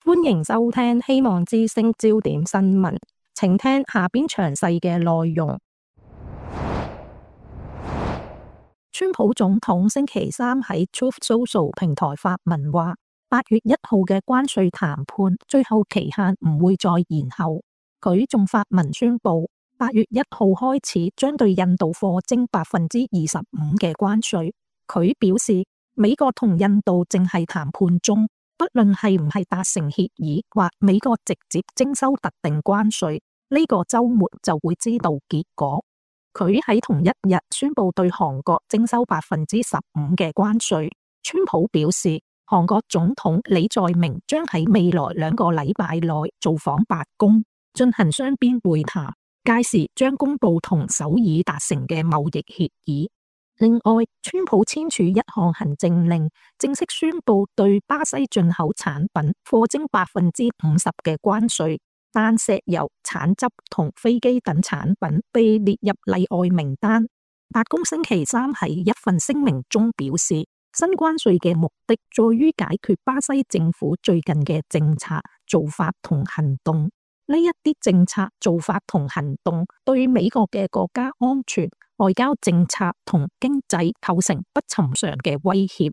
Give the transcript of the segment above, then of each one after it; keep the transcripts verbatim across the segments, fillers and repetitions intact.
歡迎收聽希望之聲焦點新聞，請聽下邊詳細嘅內容。川普總統星期三喺 Truth Social 平台發文話，八月一號嘅關稅談判最後期限唔會再延後。佢仲發文宣布，八月一號開始將對印度課徵百分之二十五嘅關稅。佢表示，美國同印度正係談判中，不論係唔係達成協議或美國直接徵收特定關稅，呢個週末就會知道結果。佢喺同一日宣布對韓國徵收百分之十五嘅關稅。川普表示，韓國總統李在明將喺未來兩個禮拜內造訪白宮，進行雙邊會談，屆時將公布同首爾達成嘅貿易協議。另外，川普簽署一項行政令，正式宣布對巴西進口產品課徵百分之五十嘅關稅。但石油、橙汁同飛機等產品被列入例外名單。白宮星期三喺一份聲明中表示，新關稅嘅目的在於解決巴西政府最近嘅政策做法同行動。呢一啲政策做法同行動對美國嘅國家安全、外交政策同經濟構成不尋常嘅威脅。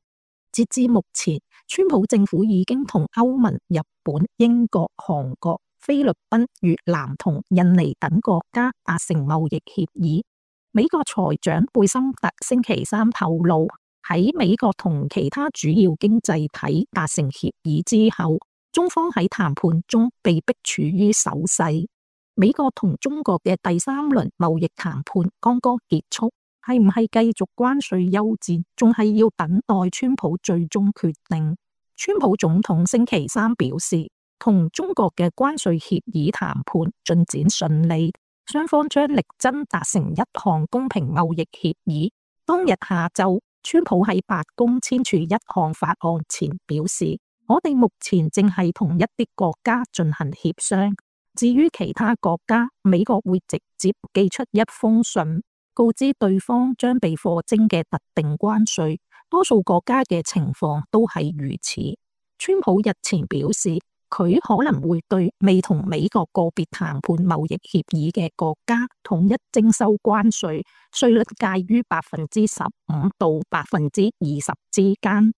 截至目前，川普政府已經同歐盟、日本、英國、韓國、菲律賓、越南同印尼等國家達成貿易協議。美國財長貝森特星期三透露，喺美國同其他主要經濟體達成協議之後，中方喺談判中被迫處於守勢。美國同中國嘅第三輪貿易談判剛剛結束，係唔係繼續關稅休戰，仲係要等待川普最終決定。川普總統星期三表示，同中國嘅關稅協議談判進展順利，雙方將力爭達成一項公平貿易協議。當日下晝，川普喺白宮簽署一項法案前表示，我哋目前正係同一啲國家進行協商，至於其他國家，美國會直接寄出一封信，告知對方將被課徵嘅特定關稅。多數國家嘅情況都係如此。川普日前表示，佢可能會對未同美國個別談判貿易協議嘅國家統一徵收關稅，稅率介於百分之十五到百分之二十之間。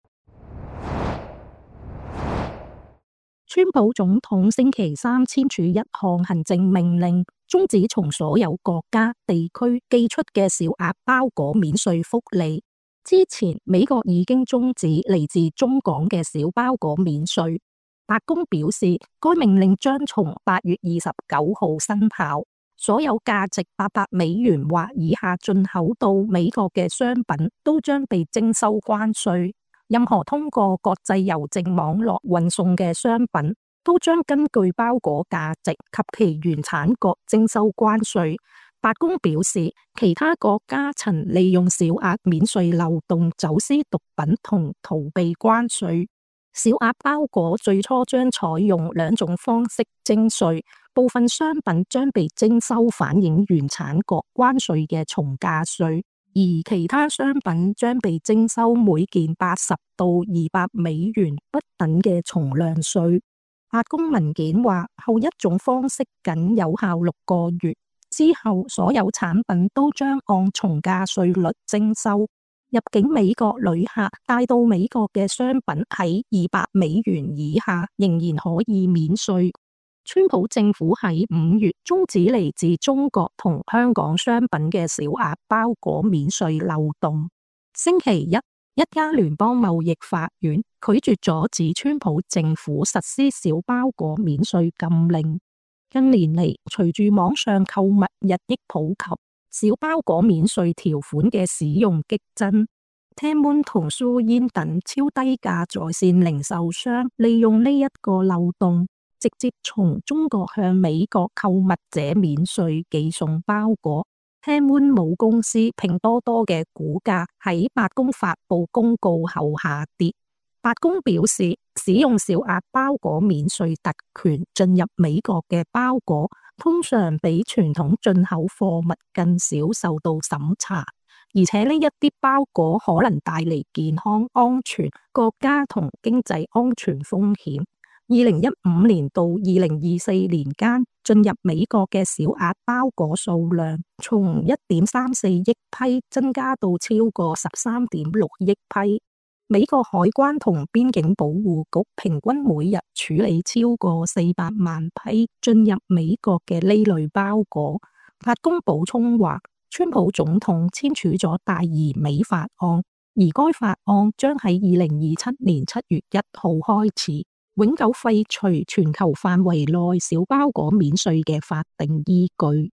川普總統星期三簽署一項行政命令，終止從所有國家地區寄出嘅小額包裹免稅福利。之前美國已經終止嚟自中港嘅小包裹免稅。白宮表示，該命令將從八月二十九號生效，所有價值八百美元或以下進口到美國嘅商品都將被徵收關稅。任何通過國際郵政網絡運送嘅商品都將根據包裹價值及其原產國徵收關稅。白宮表示，其他國家曾利用小額免稅漏洞走私毒品同逃避關稅。小額包裹最初將採用兩種方式徵稅，部分商品將被徵收反映原產國關稅嘅從價稅，而其他商品將被徵收每件八十到二百美元不等嘅從量稅。白宮文件話，後一種方式僅有效六個月，之後所有產品都將按從價稅率徵收。入境美國旅客帶到美國嘅商品喺二百美元以下，仍然可以免稅。川普政府喺五月終止嚟自中國同香港商品嘅小額包裹免稅漏洞。星期一，一家聯邦貿易法院拒絕阻止川普政府實施小包裹免稅禁令。近年嚟，隨住網上購物日益普及，小包裹免稅條款嘅使用激增。Temu同 Douyin 等超低價在線零售商利用呢一個漏洞，直接從中國向美國購物者免稅寄送包裹。Temu母公司拼多多嘅股價喺白宮發佈公告後下跌。白宮表示，使用小額包裹免稅特權進入美國嘅包裹，通常比傳統進口貨物更少受到審查，而且呢一啲包裹可能帶嚟健康安全、國家同經濟安全風險。二零一五年到二零二四年間進入美國嘅小額包裹數量從一點三四億批增加到超過十三點六億批。美國海關同邊境保護局平均每日處理超過四百萬批進入美國嘅呢類包裹。白宮補充話，川普總統簽署咗大移美法案，而該法案將喺二零二七年七月一號開始永久廢除全球範圍內小包裹免稅嘅法定依據。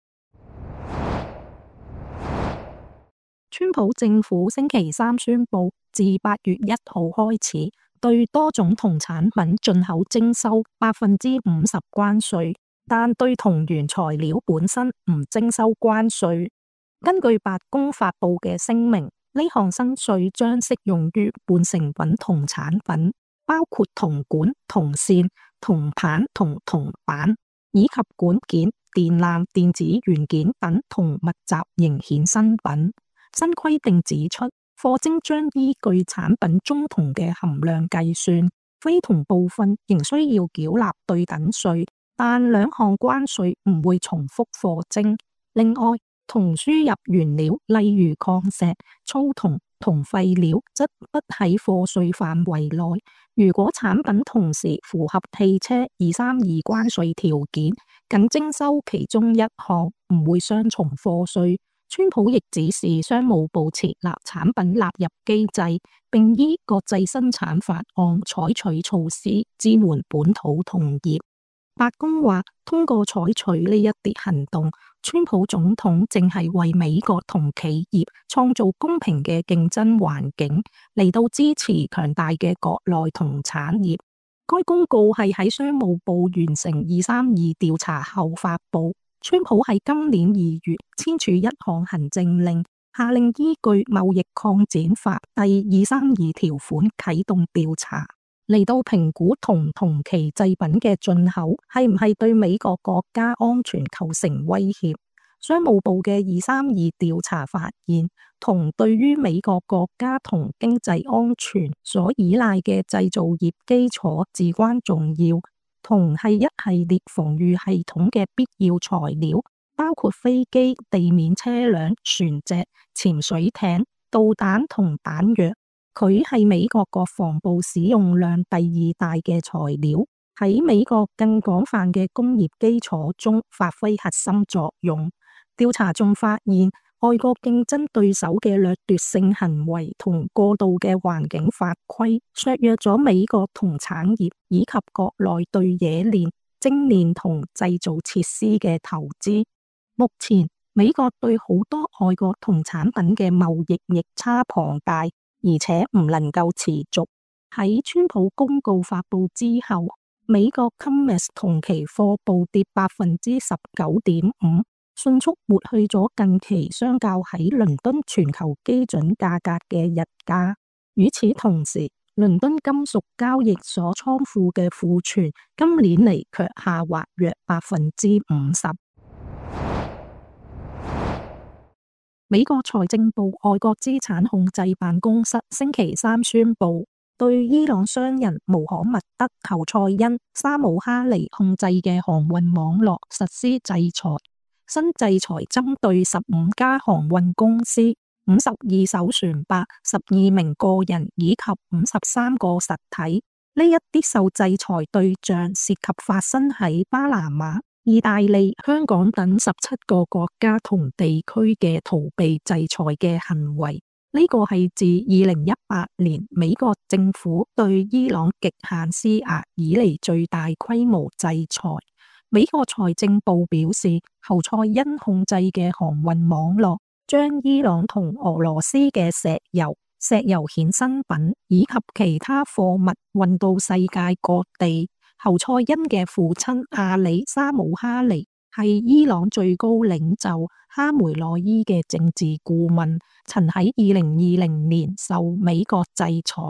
川普政府星期三宣布，自八月一號開始，對多種銅產品進口徵收百分之五十關稅，但對銅原材料本身唔徵收關稅。根據白宮發布嘅聲明，呢項新稅將適用於半成品銅產品，包括銅管、銅線、銅棒同銅板，以及管件、電纜、電子元件等銅密集型衍生品。新規定指出，課徵將依據產品中銅嘅含量計算，非銅部分仍需要繳納對等稅，但兩項關稅唔會重複課徵。另外，銅輸入原料，例如礦石、粗銅、銅廢料，則不喺課稅範圍內。如果產品同時符合汽車二三二關稅條件，僅徵收其中一項，唔會雙重課稅。川普亦指示商務部設立產品納入機制，並依國際生產法案採取措施支援本土銅業。白宮話，通過採取呢一啲行動，川普總統正係為美國銅企業創造公平嘅競爭環境，嚟到支持強大嘅國內銅產業。該公告係喺商務部完成二三二調查後發布。川普喺今年二月簽署一項行政令，下令依據貿易擴展法第二三二條款啟動調查，嚟到評估銅同其製品嘅進口係唔係對美國國家安全構成威脅。商務部嘅二三二調查發現，銅對於美國國家同經濟安全所依賴嘅製造業基礎至關重要。銅係一系列防禦系統嘅必要材料，包括飛機、地面車輛、船隻、潛水艇、導彈同彈藥。佢係美國國防部使用量第二大嘅材料，喺美國更廣泛嘅工業基礎中發揮核心作用。調查仲發現，外國競爭對手嘅掠奪性行為同過度嘅環境法規，削弱咗美國銅產業以及國內對冶煉、精煉銅製造設施嘅投資。目前，美國對好多外國銅產品嘅貿易逆差龐大，而且唔能夠持續。喺川普公告發布之後，美國 COMEX 銅期貨暴跌百分之十九點五。迅速抹去咗近期相較喺倫敦全球基準價格嘅日價。與此同時，倫敦金屬交易所倉庫嘅庫存今年嚟卻下滑約百分之五十。美國財政部外國資產控制辦公室星期三宣布，對伊朗商人穆罕默德·侯賽因、沙姆哈尼控制嘅航運網絡實施制裁。新制裁針對十五家航運公司、五十二艘船舶、十二名個人以及五十三個實體。呢一啲受制裁對象涉及發生喺巴拿馬、意大利、香港等十七個國家同地區嘅逃避制裁嘅行為。呢個係自二零一八年美國政府對伊朗極限施壓以嚟最大規模制裁。美國財政部表示，侯賽因控制嘅航運網絡將伊朗同俄羅斯嘅石油、石油衍生品以及其他貨物運到世界各地。侯賽因嘅父親阿里沙姆哈尼係伊朗最高領袖哈梅內伊嘅政治顧問，曾喺二零二零年受美國制裁。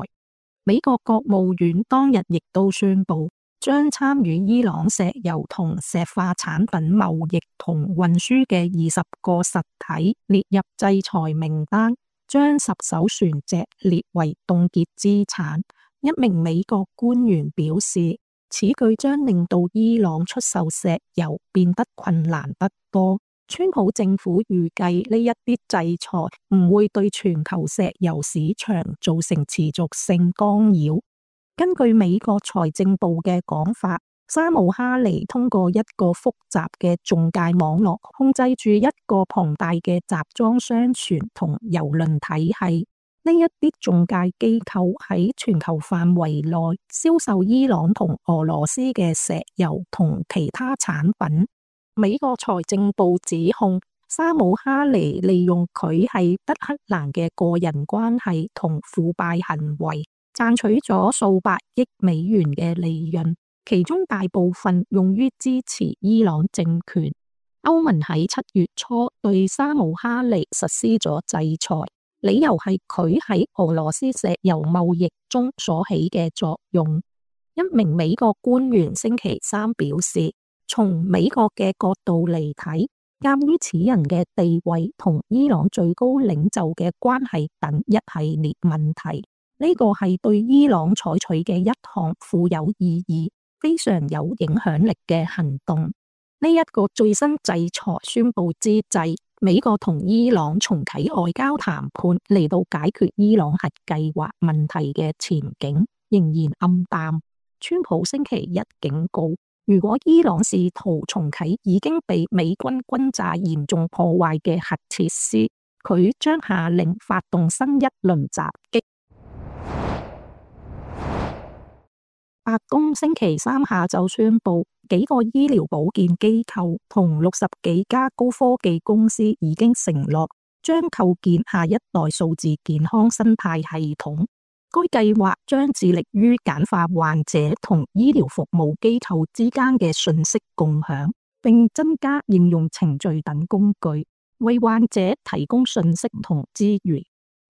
美國國務院當日亦都宣布，將參與伊朗石油同石化產品貿易同運輸嘅二十個實體列入制裁名單，將十艘船隻列為凍結資產。一名美國官員表示，此舉將令到伊朗出售石油變得困難得多。川普政府預計呢一啲制裁唔會對全球石油市場造成持續性干擾。根據美國財政部嘅講法，沙姆哈尼通過一個複雜嘅中介網絡，控制住一個龐大嘅集裝箱船同郵輪體系。呢一啲中介機構喺全球範圍內銷售伊朗同俄羅斯嘅石油同其他產品。美國財政部指控沙姆哈尼利用佢係德黑蘭嘅個人關係同腐敗行為，賺取咗數百億美元嘅利潤，其中大部分用於支持伊朗政權。歐盟喺七月初對沙姆哈尼實施咗制裁，理由係佢喺俄羅斯石油貿易中所起嘅作用。一名美國官員星期三表示，從美國嘅角度嚟睇，鑒於此人嘅地位同伊朗最高領袖嘅關係等一系列問題，呢個係對伊朗採取嘅一項富有意義、非常有影響力嘅行動。呢一個最新制裁宣布之際，美國同伊朗重啟外交談判嚟到解決伊朗核計劃問題嘅前景仍然暗淡。川普星期一警告，如果伊朗試圖重啟已經被美軍轟炸嚴重破壞嘅核設施，佢將下令發動新一輪襲擊。白宮星期三下晝宣布，幾個醫療保健機構同六十幾家高科技公司已經承諾將構建下一代數字健康生態系統。該計劃將致力於簡化患者同醫療服務機構之間嘅信息共享，並增加應用程序等工具，為患者提供信息同資源。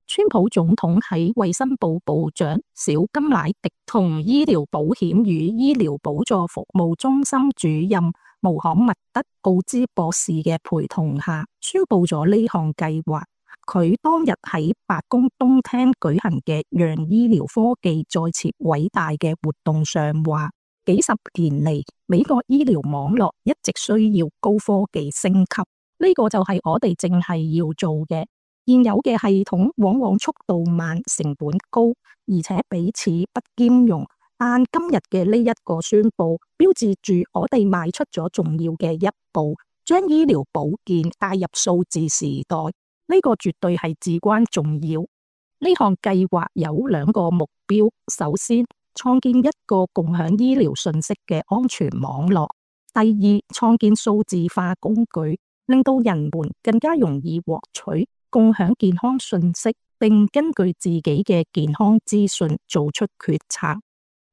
川普總統喺衛生部部長小金乃迪同醫療保險與醫療補助服務中心主任穆罕默德奧茲博士嘅陪同下，宣布咗呢項計劃。佢當日喺白宮東廳舉行嘅讓醫療科技再設偉大嘅活動上話，幾十年嚟，美國醫療網絡一直需要高科技升級，呢個就係我哋正係要做嘅。現有嘅系統往往速度慢、成本高，而且彼此不兼容。但今日嘅呢一個宣布，標誌住我哋邁出咗重要嘅一步，將醫療保健帶入數字時代。呢個絕對係至關重要。呢項計劃有兩個目標：首先，創建一個共享醫療信息嘅安全網絡；第二，創建數字化工具，令到人們更加容易獲取、共享健康信息，並根據自己嘅健康資訊做出決策。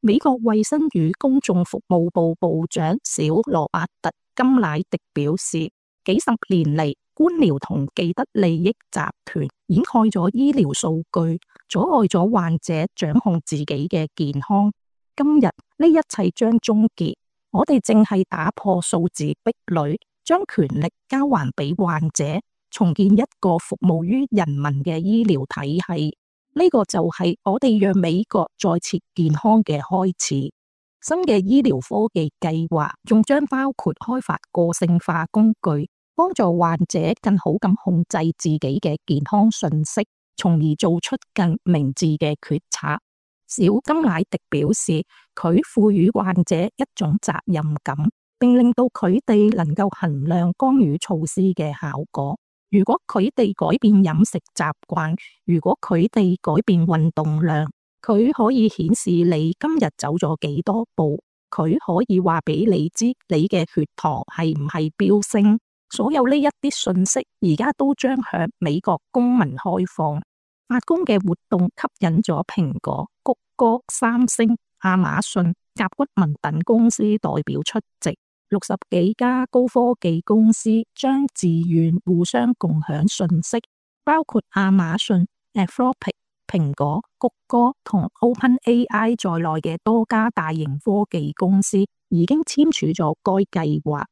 美國衛生與公眾服務部部長小羅伯特金乃迪表示，幾十年嚟，官僚同既得利益集團掩蓋咗醫療數據，阻礙咗患者掌控自己嘅健康。今日呢一切將終結，我哋正係打破數字壁壘，將權力交還俾患者，重建一個服務於人民嘅醫療體系。呢個就係我哋讓美國再次健康嘅開始。新嘅醫療科技計劃仲將包括開發個性化工具，幫助患者更好咁控制自己嘅健康信息，從而做出更明智嘅決策。小金乃迪表示，佢賦予患者一種責任感，並令到佢哋能夠衡量干預措施嘅效果。如果佢哋改變飲食習慣，如果佢哋改變運動量，佢可以顯示你今日走咗幾多步，佢可以話俾你知你嘅血糖係唔係飆升。所有呢一啲信息而家都將向美國公民開放。白宮嘅活動吸引咗蘋果、谷歌、三星、亞馬遜、甲骨文等公司代表出席。六十幾家高科技公司將自願互相共享信息，包括亞馬遜、Anthropic、蘋果、谷歌同 OpenAI 在內嘅多家大型科技公司已經簽署咗該計劃。